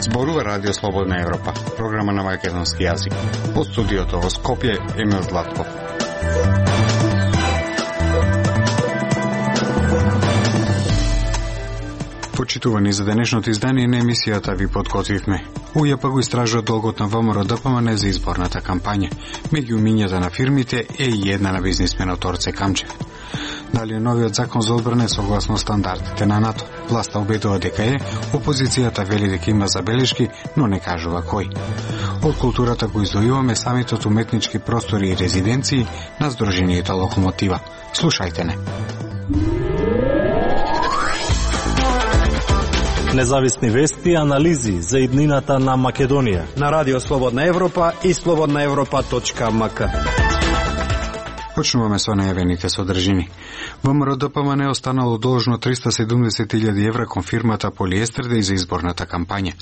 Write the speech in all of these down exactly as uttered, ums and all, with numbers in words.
Зборува Радио Слободна Европа, програма на македонски јазик. Од студиото во Скопје, Емил Златков. Почитувани за денешното издание на емисијата ви подготвивме. УЈП го истражува долгот на ВМРО-ДПМН за изборната кампања. Меѓу умињата на фирмите е и една на бизнисменот Орце Камчев. Дали е новиот закон за одбрана согласно стандардите на НАТО? Власта убедува дека е, опозицијата вели дека има забелешки, но не кажува кој. Од културата го издвојуваме самитот уметнички простори и резиденции на Сдруженијето Локомотива. Слушајте не. Независни вести и анализи за иднината на Македонија на Радио Слободна Европа и слободна европа точка ем ка. Почнуваме со најавените содржини. ВМРО-ДПМН е останало должно триста и седумдесет илјади евра кон фирмата Полиестердеј за изборната кампања.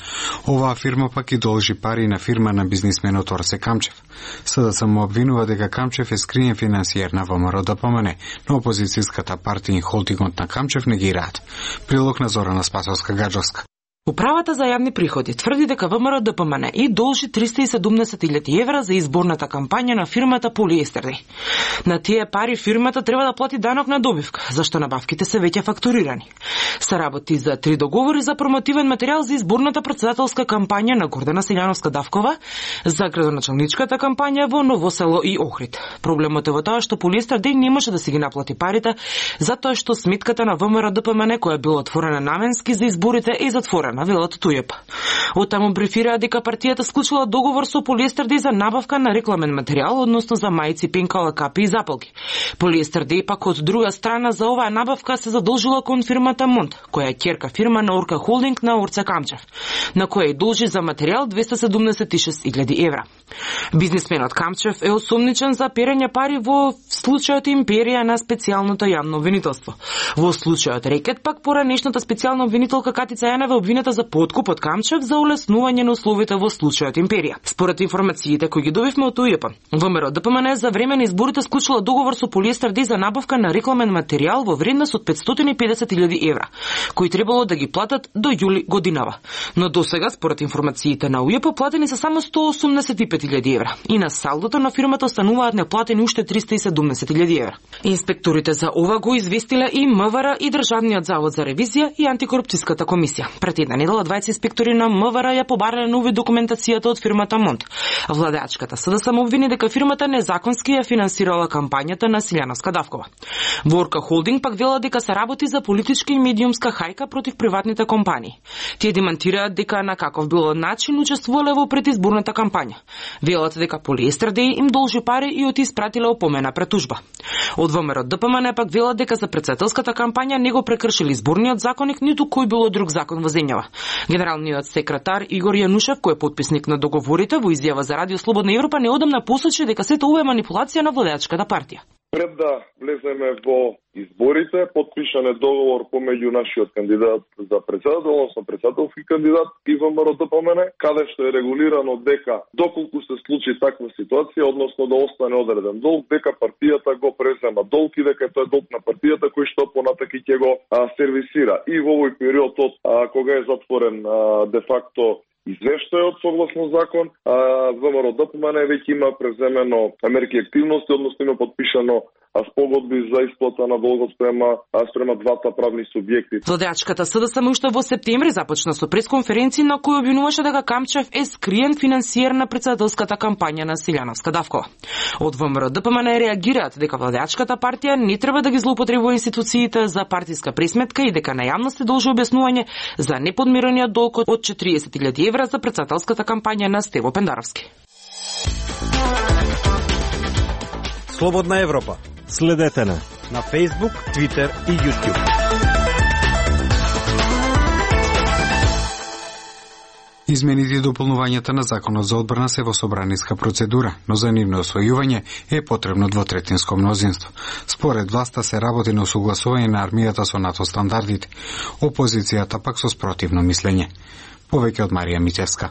Оваа фирма пак и должи пари на фирма на бизнисменот Орце Камчев. СДСМ му обвинува дека Камчев е скриен финансиер на ВМРО-ДПМН, но опозицијската партија и холдингот на Камчев негираат. Прилог на Зорана Спасовска-Гаджовска. Управата за јавни приходи тврди дека ВМРО-ДПМН и должи триста и седумдесет илјади евра за изборната кампања на фирмата Полиестердеј. На тие пари фирмата треба да плати данок на добивка, зашто набавките се веќе фактурирани. Се работи за три договори за промотивен материјал за изборната претседателска кампања на Гордана Силјановска-Давкова, за градоначалничката кампања во Новосело и Охрид. Проблемот е во тоа што Полиестердеј не може да си ги наплати парите, затоа што сметката на ВМРО-ДПМН која била отворена наменски за изборите е затворена, велат УЈП. Оттаму брифираа дека партијата склучила договор со Полиестердеј за набавка на рекламен материјал, односно за мајци, пенкала, капи и запалки. Полиестердеј пак од друга страна за оваа набавка се задолжила кон фирмата Монт, која е ќерка фирма на Орка Холдинг на Орце Камчев, на која и должи за материјал двеста седумдесет и шест илјади евра. Бизнисменот Камчев е осомничен за перење пари во случајот Империја на специјалното јавно обвинителство. Во случајот Рекет пак поранешната специјална обвинителка Катица Јанева обвинета за подкуп од Камчев за улеснување на условите во случајот Империја. Според информациите кои ги добивме од УЈП, ВМРО-ДПМН за време на изборите склучила договор со Полиестердеј за набавка на рекламен материјал во вредност од петстотини и педесет илјади евра, кои требало да ги платат до јули годинава. Но досега, според информациите на УЈП, платени се само сто осумдесет и пет илјади евра и на салдото на фирмата остануваат неплатени уште триста и седумдесет илјади евра. Инспекторите за ова го известиле и МВР и Државниот завод за ревизија и антикорупцијската комисија. Пред една недела двајцет инспектори на МВР ја побарале на увид документацијата од фирмата Монт. Владеачката СДСМ обвини дека фирмата незаконски ја финансирала кампањата на Силјановска-Давкова. Орка Холдинг пак вела дека се работи за политичка и медиумска хајка против приватните компании. Тие демантираат дека на каков бил начин учествувале во предизборната кампања. Велат дека Полиестердеј им должи пари и оти испратиле опомена пред тужба. Од ВМРО-ДПМН пак велат дека за претседателската кампања не го прекршили изборниот законник ниту кој било друг закон во земјава. Генералниот секретар Игор Јанушев, кој е потписник на договорите, во изјава за Радио Слободна Европа неодамна посочи дека сето ова е манипулација на владеачката партија. Пред да влеземе во изборите, подпишан е договор помеѓу нашиот кандидат за председател, односно председателски кандидат и ВМРО-ДПМН, каде што е регулирано дека доколку се случи таква ситуација, односно да остане одреден долг, дека партијата го презема долг и дека тоа е долг на партијата кој што понатаки ќе го а, сервисира. И во овој период од а, кога е затворен а, де факто извештајот согласно закон, а ВМРО-ДПМН веќе има преземено мерки активности, односно има подпишано спогодби за исплата на долгот спрема, спрема двата правни субјекти. Владеачката СДСМ уште во септември започна со пресконференција на кој обвинуваше дека Камчев е скриен финансиер на претседателската кампања на Силјановска-Давкова. Од ВМРО-ДПМН реагираат дека владеачката партија не треба да ги злоупотребува институциите за партиска пресметка и дека на јавност должи објаснување за неподмирениот долг од четириесет илјади евра за претседателската кампања на Стево Пендаровски. Слободна Европа. Следете на на Facebook, Twitter и YouTube. Измените и дополнувањата на Законот за одбрана се во собраниска процедура, но за нивно освојување е потребно двотретинско мнозинство. Според власта се работи на усогласување на армијата со НАТО стандардите, опозицијата пак со спротивно мислење. Повеќе од Марија Мичевска.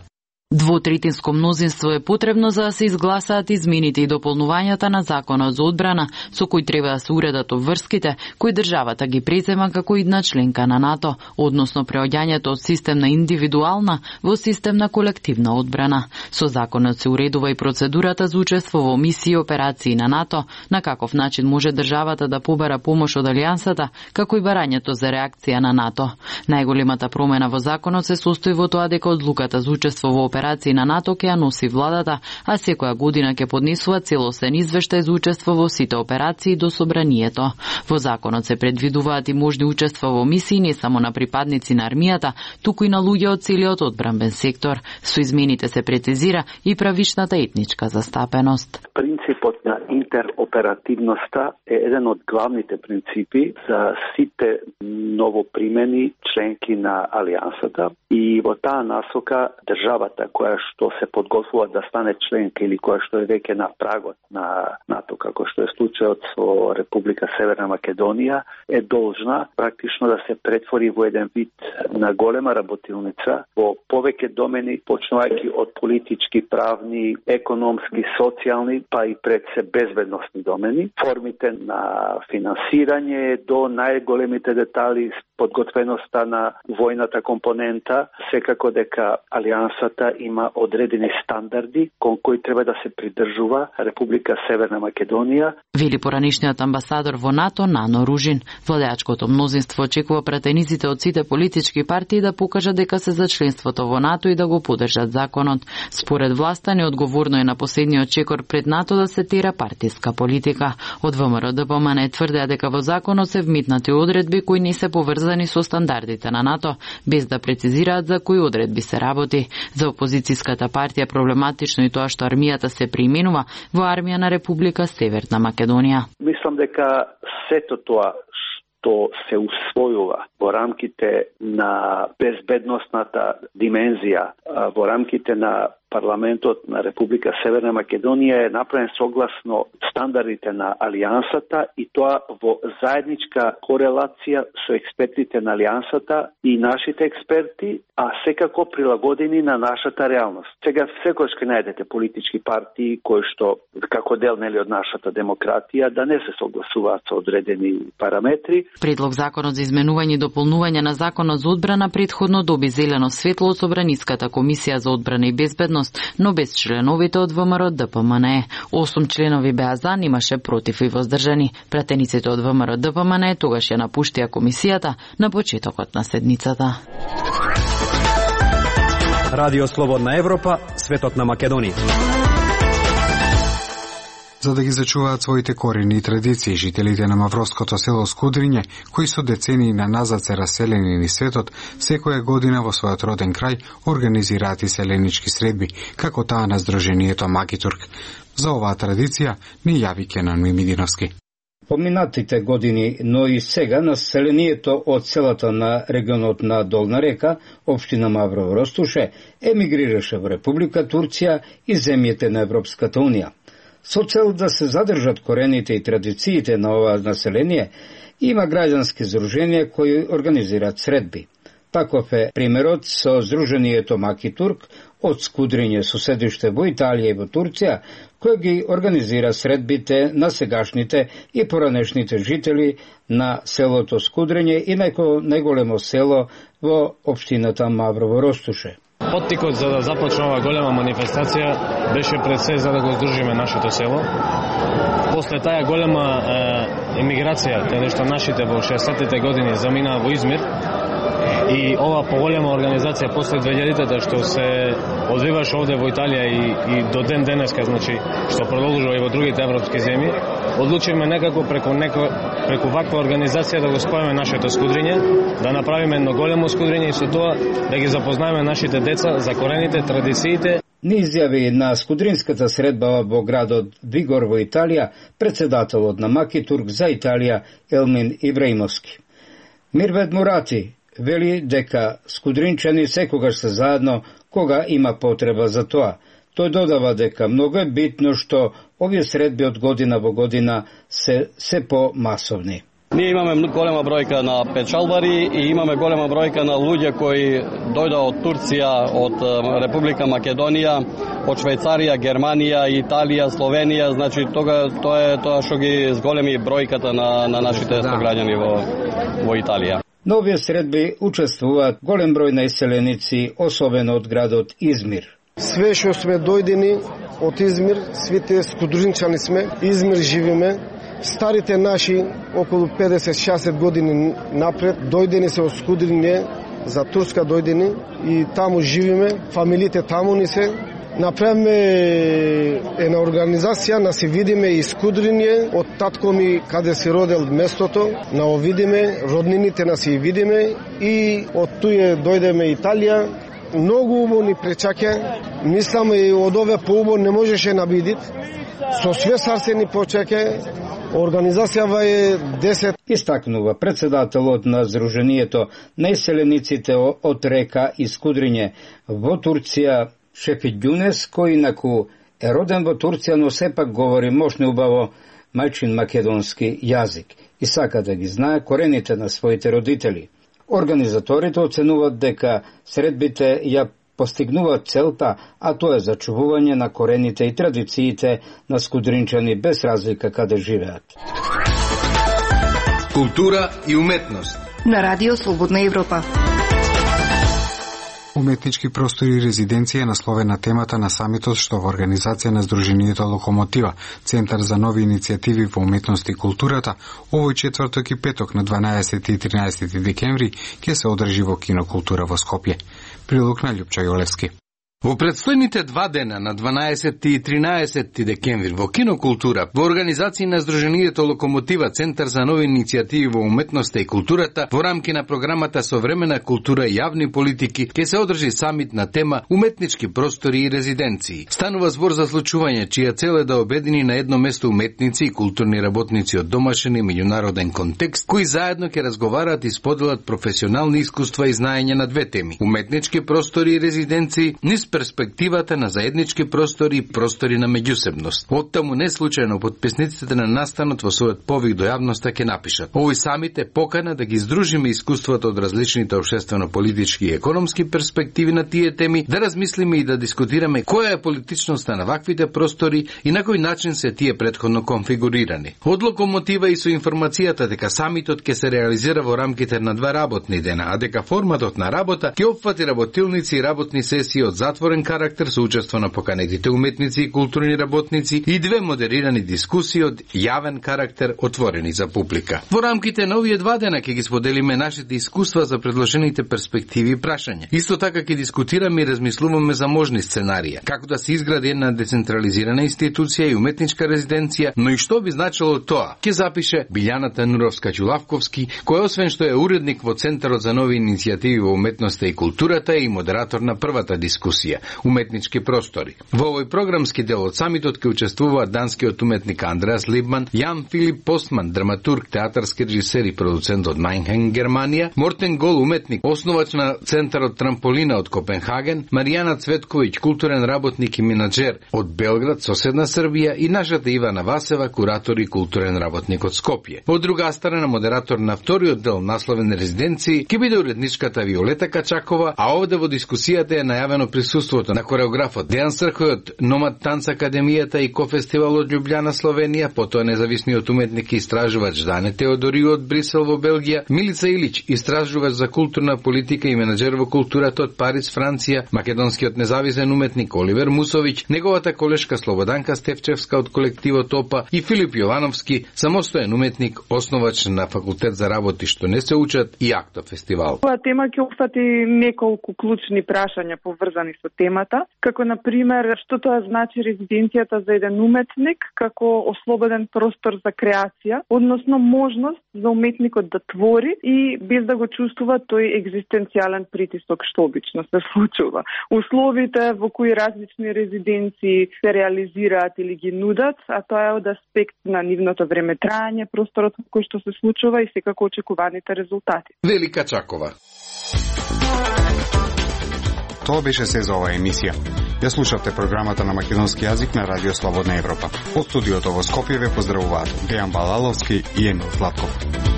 Двотретинско мнозинство е потребно за да се изгласаат измените и дополнувањата на Законот за одбрана, со кој треба да се уредат обврските кои државата ги презема како идна членка на НАТО, односно преоѓањето од систем на индивидуална во систем на колективна одбрана. Со законот се уредува и процедурата за учество во мисии и операции на НАТО, на каков начин може државата да побара помош од алијансата, како и барањето за реакција на НАТО. Најголемата промена во законот се состои во тоа дека одлуката за учество во операции на НАТО ќе ја носи владата, а секоја година ќе поднесува целосен извештај за учество во сите операции до собранието. Во законот се предвидуваат и можни учества во мисии не само на припадници на армијата, туку и на луѓе од целиот одбранбен сектор. Со измените се прецизира и правичната етничка застапеност. Принципот на интероперативноста е еден од главните принципи за сите новопримени членки на алијансата и во таа насока државата која што се подготвува да стане членка или која што е веќе на прагот на НАТО, како што е случајот со Република Северна Македонија, е должна практично да се претвори во еден вид на голема работилница во повеќе домени, почнувајќи од политички, правни, економски, социјални, па и пред се безбедносни домени, формите на финансирање до најголемите детали, подготвеноста на војната компонента, секако дека алијансата има одредени стандарди кон кои треба да се придржува Република Северна Македонија. Вели поранишниот амбасадор во НАТО Нано Ружин. Владеачкото мнозинство очекува пратениците од сите политички партии да покажат дека се за членството во НАТО и да го поддржат законот. Според власта неодговорно е на последниот чекор пред НАТО да се тера партиска политика. Од ВМРО Д П М Н тврдеа дека во законот се вмитнати одредби кои не се поврзани со стандардите на НАТО, без да прецизираат за кои одредби се работи. За опозицијската партија проблематично и тоа што армијата се преименува во армија на Република Северна Македонија. Мислам дека сето тоа што се усвојува во рамките на безбедносната димензија, во рамките на парламентот на Република Северна Македонија е направен согласно стандардите на алијансата и тоа во заедничка корелација со експертите на алијансата и нашите експерти, а секако прилагодени на нашата реалност. Сега секојаш ќе најдете политички партии кои што како дел нели од нашата демократија да не се согласуваат со одредени параметри. Предлог законот за изменување и дополнување на законот за одбрана претходно доби зелено светло од Собраниската комисија за одбрана и безбедност, но без членовите од ВМРО Д П М Н. Осум членови беа за, имаше против и воздржани. Пратениците од ВМРО Д П М Н тогаш ја напуштија комисијата на почетокот на седницата. Радио Слободна Европа, светот на Македонија. За да ги зачуваат своите корени и традиции, жителите на мавровското село Скудриње, кои со децении на назад се раселени низ светот, секоја година во својот роден крај организираат и селенички средби, како таа на Сдруженијето Макитург. За оваа традиција ни јави Кенан Мимидиновски. Поминатите години, но и сега населението од селата на регионот на Долна река, општина Маврово Ростуше, емигрираше во Република Турција и земјите на Европската Унија. Со цел да се задржат корените и традициите на ова население, има граѓански здруженија кои организираат средби. Таков е примерот со Сдруженијето Макитург од Скудриње со седиште во Италија и во Турција, кој ги организира средбите на сегашните и поранешните жители на селото Скудриње и најголемо село во општината Маврово Ростуше. Поттикот за да започне ова голема манифестација беше пред се за да го здружиме нашето село. После таа голема е, емиграција, каде што нашите во шеесеттите години заминаа во Измир, и ова поголема организација после две илјадите што се одвиваше овде во Италија и, и до ден денеска, значи, што продолжува и во другите европски земји, одлучивме некако преку неко, преку ваква организација да го спојаме нашето Скудриње, да направиме едно големо Скудриње и со тоа да ги запознаеме нашите деца за корените, традициите. Ни изјави на Скудринската средба во градот Вигор во Италија председателот на Макитург за Италија Елмин Ибраимовски. Мирвед Мурати вели дека скудринчани секогаш се заедно кога има потреба за тоа. Тој додава дека многу е битно што овие средби од година во година се се по масовни. Ние имаме голема бројка на печалбари и имаме голема бројка на луѓе кои дојдоа од Турција, од Република Македонија, од Швајцарија, Германија, Италија, Словенија, значи тога тоа е тоа што ги зголеми бројката на на нашите сограѓани во во Италија. На овие средби учествуваат голем број најселеници, особено од градот Измир. Све што сме дојдени од Измир, свите скудринчани сме, Измир живиме. Старите наши, околу педесет шеесет години напред, дојдени се од Скудриње, за Турска дојдени и таму живиме, фамилите таму ни се. Направиме една организација, на се видиме и Скудриње, од татко ми каде се родел местото, на овидиме, роднините на се видиме и од туе дојдеме Италија. Многу убаво ни пречаке, мислам и од ове поубаво не можеше набидит. Со све сарце ни почеке, организацијава е десет. Истакнува председателот на Сдруженијето најселениците од Река и Скудриње во Турција Шефик Ѓунес, кој инаку е роден во Турција, но сепак говори мощно убаво мајчин македонски јазик и сака да ги знае корените на своите родители. Организаторите оценуваат дека средбите ја постигнуваат целта, а тоа е зачувување на корените и традициите на скудринчани без разлика каде живеат. Култура и уметност на Радио Слободна Европа. Уметнички простори и резиденција насловена темата на самитот што во организација на Сдруженијето Локомотива, Центар за нови иницијативи во уметност и културата, овој четврток и петок на дванаесети и тринаесети декември ќе се одржи во Кинокултура во Скопје. Прилог на Љупча Јолевски. Во предстојните два дена на дванаесети и тринаесети декември во Кинокултура, во организација на Сдруженијето Локомотива, Центар за нови иницијативи во уметноста и културата, во рамки на програмата Современа култура и јавни политики, ќе се одржи самит на тема Уметнички простори и резиденции. Станува збор за случување чија цел е да обедини на едно место уметници и културни работници од домашен и меѓународен контекст, кои заедно ќе разговараат и споделат професионални искуства и знаење на две теми: уметнички простори и резиденции, низ перспективата на заеднички простори и простори на меѓусебност. Оттаму не случајно потписниците на настанот во својот повик до јавноста ќе напишат: овој самит е покана да ги здружиме искуствата од различните општествено-политички и економски перспективи на тие теми, да размислиме и да дискутираме која е политичноста на ваквите простори и на кој начин се тие претходно конфигурирани. Од Локомотива и со информацијата дека самитот ќе се реализира во рамките на два работни дена, а дека форматот на работа ќе опфати работилници и работни сесии од затворен карактер со учество на поканетите уметници и културни работници и две модерирани дискусии од јавен карактер отворени за публика. Во рамките на овие два дена ќе ги споделиме нашите искуства за предложените перспективи и прашања. Исто така ќе дискутираме и размислуваме за можни сценарија, како да се изгради една децентрализирана институција и уметничка резиденција, но и што би значило тоа, ќе запише Билјана Тануровска-Ѓулавковски, која освен што е уредник во Центарот за нови иницијативи во уметноста и културата е и модератор на првата дискусија Уметнички простори. Во овој програмски дел од самитот ќе учествуваат данскиот уметник Андреас Либман, Јан Филип Постман, драматург, театарски режисер и продуцент од Мајнхен, Германија, Мортен Гол, уметник, основач на Центарот Трамполина од Копенхаген, Маријана Цветковиќ, културен работник и менаџер од Белград, соседна Србија, и нашата Ивана Васева, куратор и културен работник од Скопје. Од друга страна, модератор на вториот дел насловен резиденции ќе биде уредничката Виолета Качакова, а овде во дискусијата е најавено присуството на хореографот Дејан Срхој од Номад Танц Академијата и Кофестивал од Љубљана, Словенија, потоа независниот уметник и истражувач Дане Теодорио од Брисел во Белгија, Милица Илич, истражувач за културна политика и менаџер во културата од Париз, Франција, македонскиот независен уметник Оливер Мусовиќ, неговата колешка Слободанка Стефчевска од колективот ОПА и Филип Јовановски, самостоен уметник, основач на факултет за работи што не се учат и Акто фестивал. Оваа тема ќе опфати неколку клучни прашања поврзани со темата, како на пример што тоа значи резиденцијата за еден уметник како ослободен простор за креација, односно можност за уметникот да твори и без да го чувствува тој екзистенцијален притисок што обично се случува. Условите во кои различни резиденции се реализираат или ги нудат, а тоа е од аспект на нивното време трајање, просторот во кој што се случува и секако очекуваните резултати. Велика Чакова. Тоа беше се за оваа емисија. Ја слушавте програмата на македонски јазик на Радио Слободна Европа. Од студиото во Скопје ве поздравуваат Дејан Балаловски и Емил Златков.